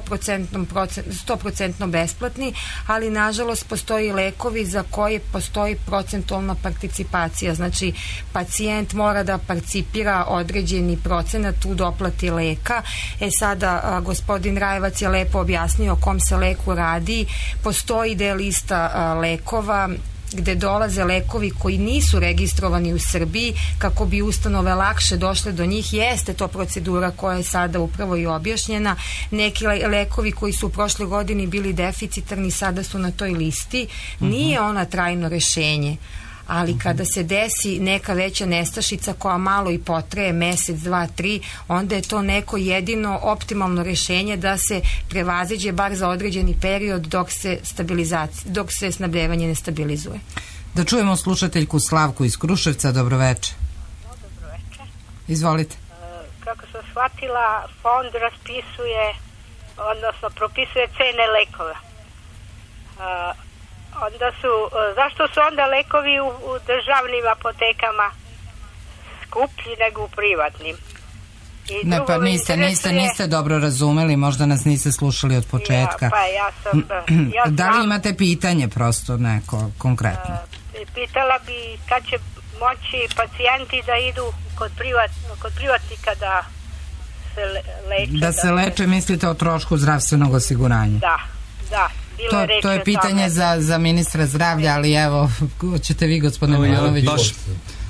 posto besplatni, ali nažalost postoji lekovi za koje postoji procentualna participacija. Znači, pacijent mora da participira određeni procenat u doplati leka. E sada a, gospodin Rajevac je lepo objasnio o kom se leku radi. Postoji da je lista a, lekova gde dolaze lekovi koji nisu registrovani u Srbiji kako bi ustanove lakše došle do njih. Jeste to procedura koja je sada upravo i objašnjena. Neki lekovi koji su u prošle godini bili deficitarni sada su na toj listi. Nije ona trajno rešenje, ali kada se desi neka veća nestašica koja malo i potraje mesec, dva, tri, onda je to neko jedino optimalno rešenje da se prevaziđe bar za određeni period dok se stabilizacija, dok se snabdevanje ne stabilizuje. Da čujemo slušateljku Slavku iz Kruševca. Dobroveče. Dobroveče. Izvolite. Kako sam shvatila, fond raspisuje, odnosno propisuje cene lekova. Onda su, zašto su onda lekovi u, u državnim apotekama skuplji nego u privatnim? I ne, pa niste, niste, niste dobro razumeli, možda nas niste slušali od početka. Ja, pa ja sam... Ja da li znam, imate pitanje prosto neko konkretno? Uh, pitala bi kad će moći pacijenti da idu kod, privat, kod privatnika da se leče. Da se leče, mislite o trošku zdravstvenog osiguranja? Da, da. To, to je pitanje za, za ministra zdravlja, ali evo, ćete vi, gospodine Milanović. Baš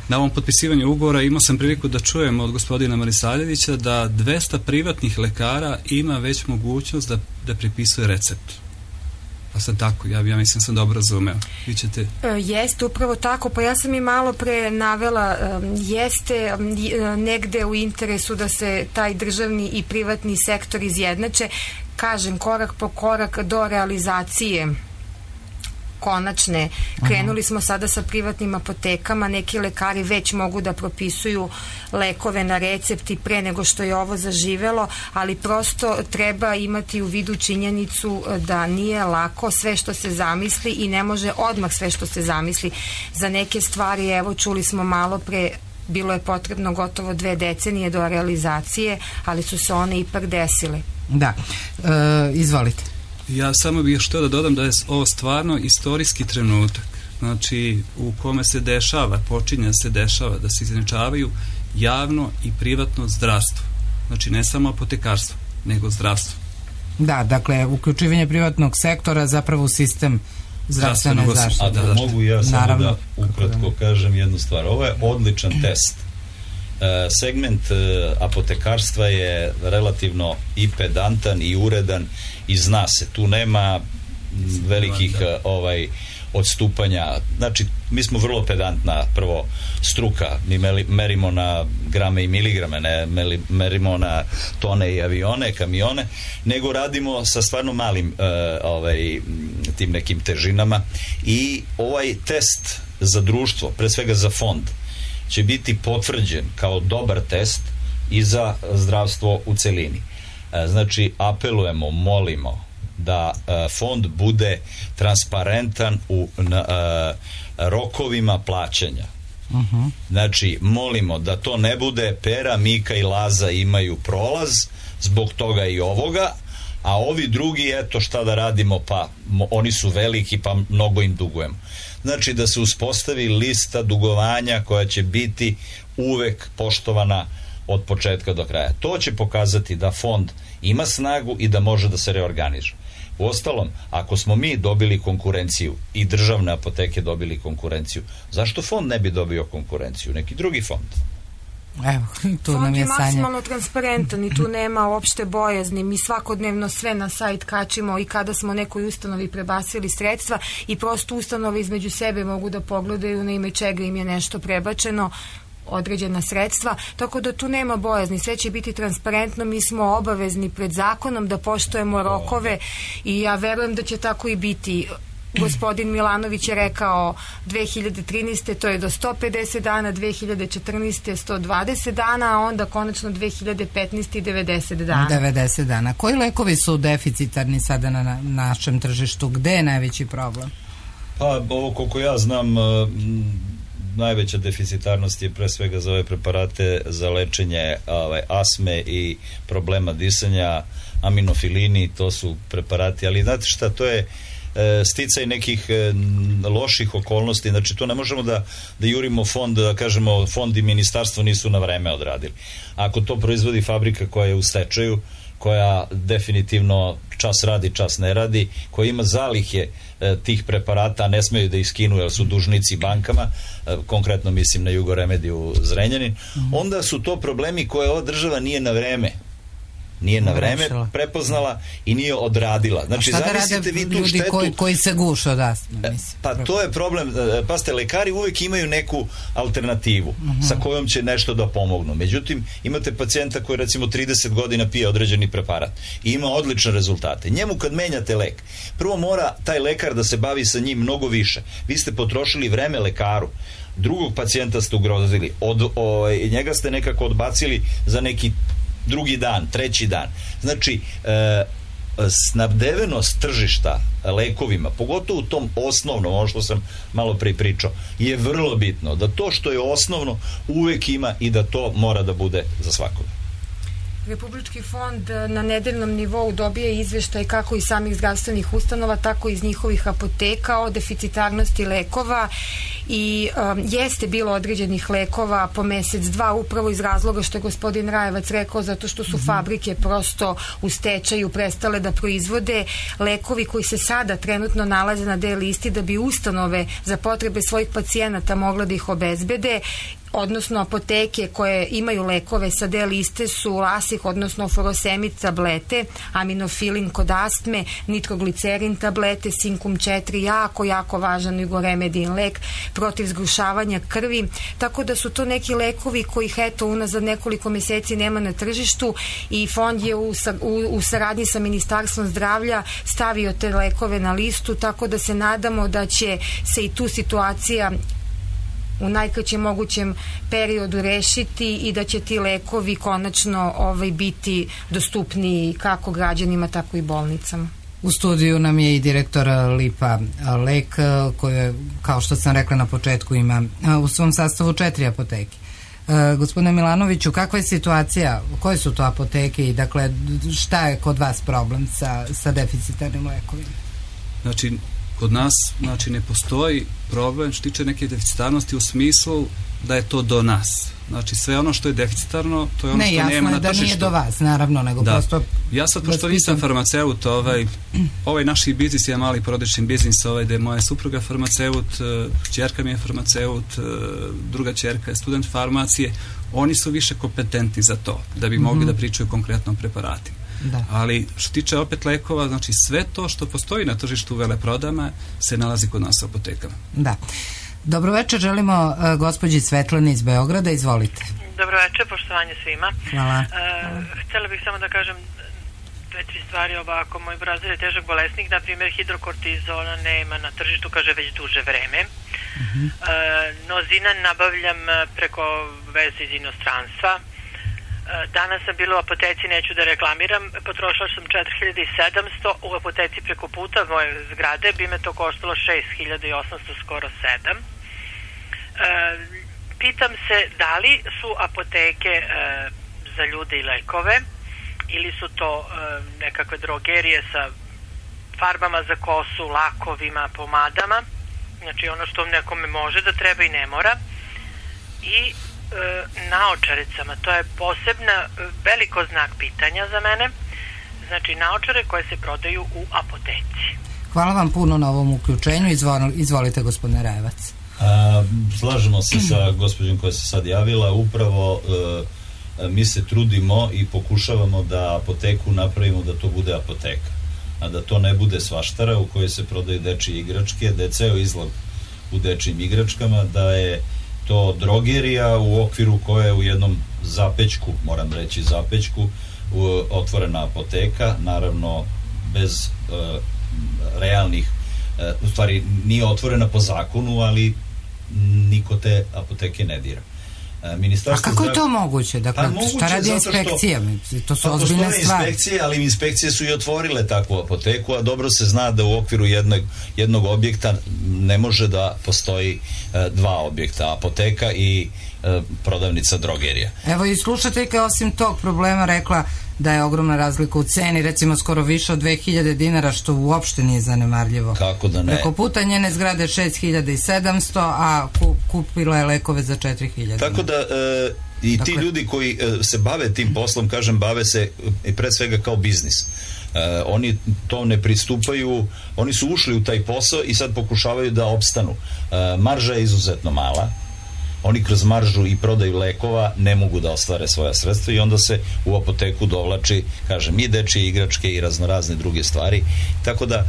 na ovom potpisivanju ugovora imao sam priliku da čujem od gospodina Marisaljevića da dvesta privatnih lekara ima već mogućnost da, da pripisuje recept. Pa sad tako, ja, ja mislim sam dobro razumeo. Vi ćete... E, jeste, upravo tako. Pa ja sam i malo pre navela, um, jeste um, negde u interesu da se taj državni i privatni sektor izjednače. Kažem, korak po korak do realizacije konačne. Krenuli smo sada sa privatnim apotekama, neki lekari već mogu da propisuju lekove na recepti pre nego što je ovo zaživelo, ali prosto treba imati u vidu činjenicu da nije lako sve što se zamisli i ne može odmah sve što se zamisli. Za neke stvari, evo, čuli smo malo pre, bilo je potrebno gotovo dve decenije do realizacije, ali su se one ipak desile. Da, e, izvolite. Ja samo bih htio da dodam da je ovo stvarno istorijski trenutak, znači u kome se dešava, počinje se dešava da se izjednačavaju javno i privatno zdravstvo, znači ne samo apotekarstvo, nego zdravstvo. Da, dakle, uključivanje privatnog sektora zapravo u sistem zdravstvene zaštite. A da, da mogu ja samo naravno, da ukratko kažem jednu stvar. Ovo je odličan test. E, segment e, apotekarstva je relativno i pedantan i uredan i zna se, tu nema velikih ovaj odstupanja. Znači, mi smo vrlo pedantna prvo struka, mi merimo na grame i miligrame, ne merimo na tone i avione, kamione, nego radimo sa stvarno malim uh, ovaj, tim nekim težinama i ovaj test za društvo, pre svega za fond, će biti potvrđen kao dobar test i za zdravstvo u celini. Znači, apelujemo, molimo da fond bude transparentan u na, rokovima plaćanja. Uh-huh. Znači, molimo da to ne bude Pera, Mika i Laza imaju prolaz zbog toga i ovoga, a ovi drugi, eto šta da radimo, pa oni su veliki pa mnogo im dugujemo. Znači, da se uspostavi lista dugovanja koja će biti uvek poštovana od početka do kraja. To će pokazati da fond ima snagu i da može da se reorganiže. Uostalom, ako smo mi dobili konkurenciju i državne apoteke dobili konkurenciju, zašto fond ne bi dobio konkurenciju? Neki drugi fond. Evo, tu Fond nam je je Sanja. maksimalno transparentan i tu nema uopšte bojazni. Mi svakodnevno sve na sajt kačimo i kada smo nekoj ustanovi prebacili sredstva i prosto ustanove između sebe mogu da pogledaju na ime čega im je nešto prebačeno, određena sredstva, tako da tu nema bojazni, sve će biti transparentno, mi smo obavezni pred zakonom da poštujemo rokove i ja verujem da će tako i biti. Gospodin Milanović je rekao dve hiljade trinaeste. to je do sto pedeset dana, dve hiljade četrnaeste. sto dvadeset dana, a onda konačno dve hiljade petnaeste. i devedeset dana. devedeset dana. Koji lekovi su deficitarni sada na, na našem tržištu? Gde je najveći problem? Pa, ovo koliko ja znam, najveća deficitarnost je pre svega za ove preparate za lečenje ovaj, asme i problema disanja, aminofilini, to su preparati, ali znate šta, to je e, sticaj nekih e, loših okolnosti, znači to ne možemo da, da jurimo fond, da kažemo fond i ministarstvo nisu na vreme odradili. Ako to proizvodi fabrika koja je u stečaju, koja definitivno čas radi, čas ne radi, koja ima zalihe e, tih preparata, ne smeju da iskinu jer su dužnici bankama, e, konkretno mislim na Jugoremediju Zrenjanin, mm-hmm. onda su to problemi koje ova država nije na vreme nije na vreme prepoznala i nije odradila. Znači, šta da zamislite vi tu štetu koji, koji se guše od astme, pa to je problem, pazite, lekari uvek imaju neku alternativu uh-huh. sa kojom će nešto da pomognu, međutim imate pacijenta koji recimo trideset godina pije određeni preparat i ima odlične rezultate, njemu kad menjate lek, prvo mora taj lekar da se bavi sa njim mnogo više, vi ste potrošili vreme lekaru, drugog pacijenta ste ugrozili, od, o, njega ste nekako odbacili za neki drugi dan, treći dan. Znači, e, snabdevenost tržišta lekovima, pogotovo u tom osnovnom, ono što sam malo pre pričao, je vrlo bitno. Da to što je osnovno uvek ima i da to mora da bude za svakoga. Republički fond na nedeljnom nivou dobije izveštaj kako iz samih zdravstvenih ustanova, tako i iz njihovih apoteka o deficitarnosti lekova i um, jeste bilo određenih lekova po mesec, dva, upravo iz razloga što je gospodin Rajevac rekao, zato što su mm-hmm. fabrike prosto u stečaju prestale da proizvode lekovi koji se sada trenutno nalaze na D listi da bi ustanove za potrebe svojih pacijenata mogla da ih obezbede, odnosno apoteke koje imaju lekove sa D liste su Lasih, odnosno Furosemid tablete, aminofilin kod astme, nitroglicerin tablete, Sinkum četiri, jako, jako važan Jugoremedin lek protiv zgrušavanja krvi, tako da su to neki lekovi kojih eto unazad nekoliko meseci nema na tržištu i fond je u, u, u saradnji sa Ministarstvom zdravlja stavio te lekove na listu, tako da se nadamo da će se i tu situacija u najkraćem mogućem periodu rešiti i da će ti lekovi konačno ovaj, biti dostupniji kako građanima, tako i bolnicama. U studiju nam je i direktor Lipa Lek, koji, kao što sam rekla na početku, ima u svom sastavu četiri apoteke. E, gospodine Milanoviću, kakva je situacija, koje su to apoteke i dakle šta je kod vas problem sa, sa deficitarnim lekovima? Znači, kod nas znači, ne postoji problem što tiče neke deficitarnosti u smislu da je to do nas. Znači, sve ono što je deficitarno, to je ono ne, što nema na tržištu. Ne, jasno je da nije do vas, naravno, nego da. prosto... Ja sad, pošto nisam farmaceut, ovaj, ovaj naš biznis je mali porodični biznis, ovaj, gde je moja supruga farmaceut, ćerka mi je farmaceut, druga ćerka je student farmacije, oni su više kompetentni za to, da bi mogli mm-hmm. da pričaju konkretno o preparatima. Da. Ali što tiče opet lekova, znači sve to što postoji na tržištu u veleprodajama se nalazi kod nas u apotekama. Da. Dobro večer, želimo uh, gospođi Svetlani iz Beograda, izvolite. Dobro večer, poštovanje svima. Hvala. Uh, htjela bih samo da kažem dve, tri stvari ovako. Moj brazir je težak bolesnik, na primjer hidrokortizona nema na tržištu, kaže već duže vreme. Uh-huh. Uh, nozina nabavljam preko veze iz inostranstva. Danas sam bila u apoteci, neću da reklamiram, potrošila sam četiri hiljade sedamsto, u apoteci preko puta moje zgrade bi me to koštalo šest hiljada osamsto, skoro sedam. E, pitam se da li su apoteke e, za ljude i lekove ili su to e, nekakve drogerije sa farbama za kosu, lakovima, pomadama, znači ono što nekome može da treba i ne mora. I naočaricama, to je posebna veliko znak pitanja za mene, znači naočare koje se prodaju u apoteci. Hvala vam puno na ovom uključenju, Izvol, izvolite gospodine Rajevac. A, slažemo se sa gospođom koja se sad javila, upravo e, mi se trudimo i pokušavamo da apoteku napravimo da to bude apoteka, a da to ne bude svaštara u kojoj se prodaju dečije igračke, da je ceo izlog u dečijim igračkama, da je to drogerija u okviru koje je u jednom zapećku, moram reći zapećku, u, otvorena apoteka, naravno bez e, realnih, e, u stvari nije otvorena po zakonu, ali niko te apoteke ne dira. A kako je to moguće? Dakle, šta radi inspekcija? To su ozbiljne stvari. Inspekcije, ali inspekcije su i otvorile takvu apoteku, a dobro se zna da u okviru jednog, jednog objekta ne može da postoji e, dva objekta, apoteka i e, prodavnica drogerija. Evo i slušateljka osim tog problema rekla da je ogromna razlika u ceni, recimo skoro više od dve hiljade dinara, što uopšte nije zanemarljivo. Kako da ne? Preko puta njene zgrade šest hiljada sedamsto, a kupila je lekove za četiri hiljade. Tako da e, i dakle, ti ljudi koji e, se bave tim poslom, kažem, bave se i pre svega kao biznis. E, oni to ne pristupaju, oni su ušli u taj posao i sad pokušavaju da opstanu. E, marža je izuzetno mala. Oni kroz maržu i prodaju lekova ne mogu da ostvare svoja sredstva i onda se u apoteku dovlači, kažem, i dečije igračke i raznorazne druge stvari. Tako da e,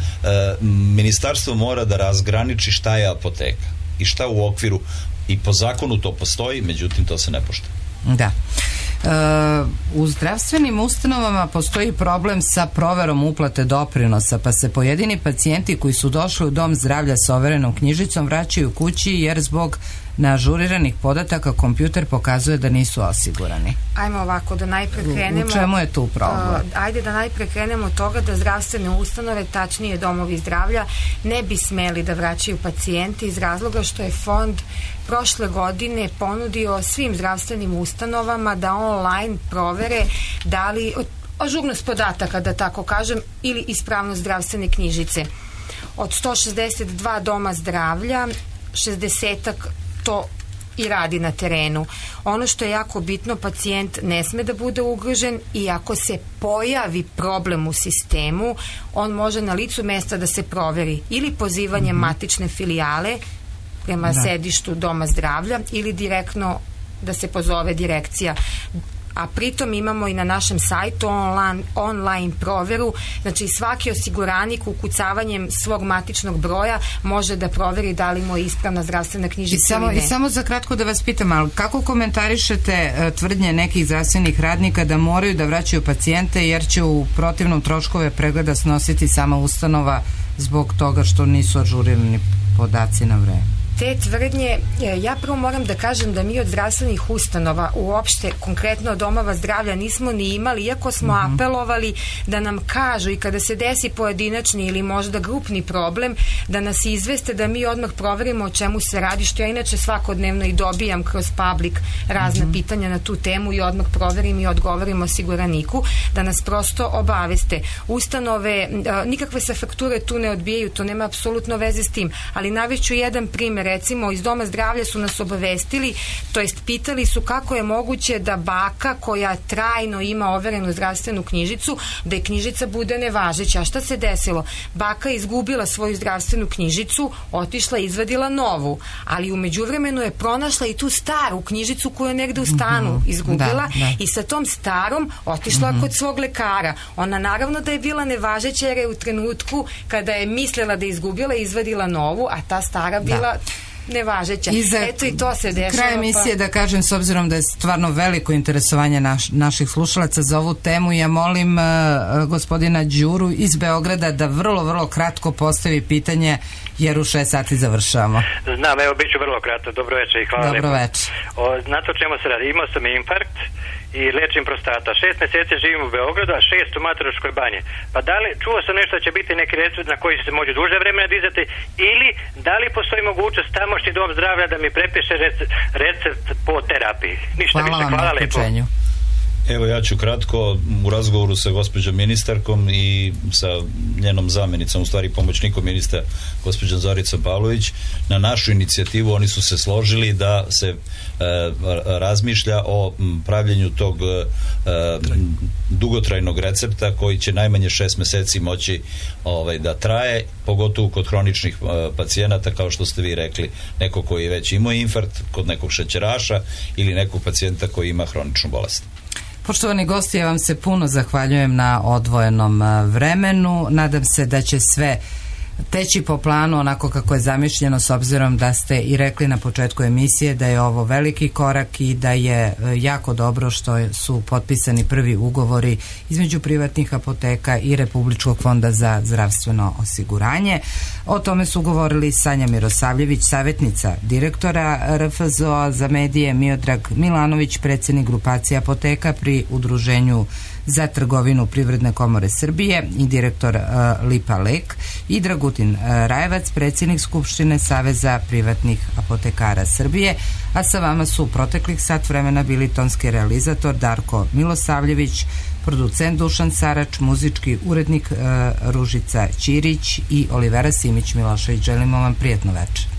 ministarstvo mora da razgraniči šta je apoteka i šta u okviru, i po zakonu to postoji, međutim to se ne poštuje. Da. E, u zdravstvenim ustanovama postoji problem sa proverom uplate doprinosa, pa se pojedini pacijenti koji su došli u dom zdravlja sa overenom knjižicom vraćaju kući jer zbog neažuriranih podataka kompjuter pokazuje da nisu osigurani. Ajmo ovako, da najpre krenemo... U čemu je tu problem? Uh, ajde da najpre krenemo od toga da zdravstvene ustanove, tačnije domovi zdravlja, ne bi smeli da vraćaju pacijenti iz razloga što je fond prošle godine ponudio svim zdravstvenim ustanovama da online provere da li ažurnost podataka, da tako kažem, ili ispravnost zdravstvene knjižice. Od sto šezdeset dva doma zdravlja, šezdesetak to i radi na terenu. Ono što je jako bitno, pacijent ne sme da bude ugrožen i ako se pojavi problem u sistemu, on može na licu mesta da se proveri ili pozivanjem mm-hmm. matične filijale prema da. sedištu doma zdravlja ili direktno da se pozove direkcija. A pritom imamo i na našem sajtu online, online proveru, znači svaki osiguranik ukucavanjem svog matičnog broja može da proveri da li mu je ispravna zdravstvena knjižica ili ne. I samo za kratko da vas pitam, ali kako komentarišete uh, tvrdnje nekih zdravstvenih radnika da moraju da vraćaju pacijente jer će u protivnom troškove pregleda snositi sama ustanova zbog toga što nisu ažurirani podaci na vreme? Te tvrdnje, ja prvo moram da kažem da mi od zdravstvenih ustanova, uopšte konkretno od domova zdravlja, nismo ni imali, iako smo mm-hmm. apelovali da nam kažu i kada se desi pojedinačni ili možda grupni problem, da nas izveste da mi odmah proverimo o čemu se radi, što ja inače svakodnevno i dobijam kroz public razna mm-hmm. pitanja na tu temu i odmah proverim i odgovorim osiguraniku, da nas prosto obaveste. Ustanove, nikakve se fakture tu ne odbijaju, to nema apsolutno veze s tim, ali navešću jedan primjer. Recimo iz doma zdravlja su nas obavestili, to jest pitali su kako je moguće da baka koja trajno ima overenu zdravstvenu knjižicu, da je knjižica bude nevažeća. A šta se desilo? Baka je izgubila svoju zdravstvenu knjižicu, otišla i izvadila novu, ali u međuvremenu je pronašla i tu staru knjižicu koju je negde u stanu izgubila da, da. i sa tom starom otišla mm-hmm. kod svog lekara. Ona naravno da je bila nevažeća jer je u trenutku kada je mislila da je izgubila izvadila novu, a ta stara bila da. nevažeća. I za Eto i to se dešava. Kraj emisije pa... da kažem, s obzirom da je stvarno veliko interesovanje naš, naših slušalaca za ovu temu, ja molim uh, gospodina Đuru iz Beograda da vrlo, vrlo kratko postavi pitanje jer u šest sati završavamo. Znam, evo bit ću vrlo kratko. Dobro večer i hvala. Dobro večer. Znate o čemu se radi? Imao sam infarkt i lečim prostata. Šest mjeseci živim u Beogradu, a šest u Mataruškoj banji. Pa da li, čuo sam nešto da će biti neki recept na koji se može duže vremena dizati, ili da li postoji mogućnost tamošnji dom zdravlja da mi prepiše recept, recept po terapiji? Ništa hvala više, vam hvala na lepo. Evo, ja ću kratko, u razgovoru sa gospođom ministarkom i sa njenom zamjenicom, u stvari pomoćnikom ministra, gospođom Zoricom Pavlović, na našu inicijativu oni su se složili da se e, razmišlja o pravljenju tog e, dugotrajnog recepta koji će najmanje šest meseci moći ovaj, da traje, pogotovo kod hroničnih e, pacijenata, kao što ste vi rekli, neko koji je već imao infarkt, kod nekog šećeraša ili nekog pacijenta koji ima hroničnu bolest. Poštovani gosti, ja vam se puno zahvaljujem na odvojenom vremenu. Nadam se da će sve teći po planu onako kako je zamišljeno, s obzirom da ste i rekli na početku emisije da je ovo veliki korak i da je jako dobro što su potpisani prvi ugovori između privatnih apoteka i Republičkog fonda za zdravstveno osiguranje. O tome su govorili Sanja Mirosavljević, savjetnica direktora R F Z O za medije, Miodrag Milanović, predsjednik grupacije apoteka pri Udruženju za trgovinu Privredne komore Srbije i direktor uh, Lipa Lek, i Dragutin uh, Rajevac, predsjednik Skupštine Saveza privatnih apotekara Srbije, a sa vama su proteklih sat vremena bili tonski realizator Darko Milosavljević, producent Dušan Sarač, muzički urednik uh, Ružica Ćirić i Olivera Simić Milošević. Želimo vam prijatno večer.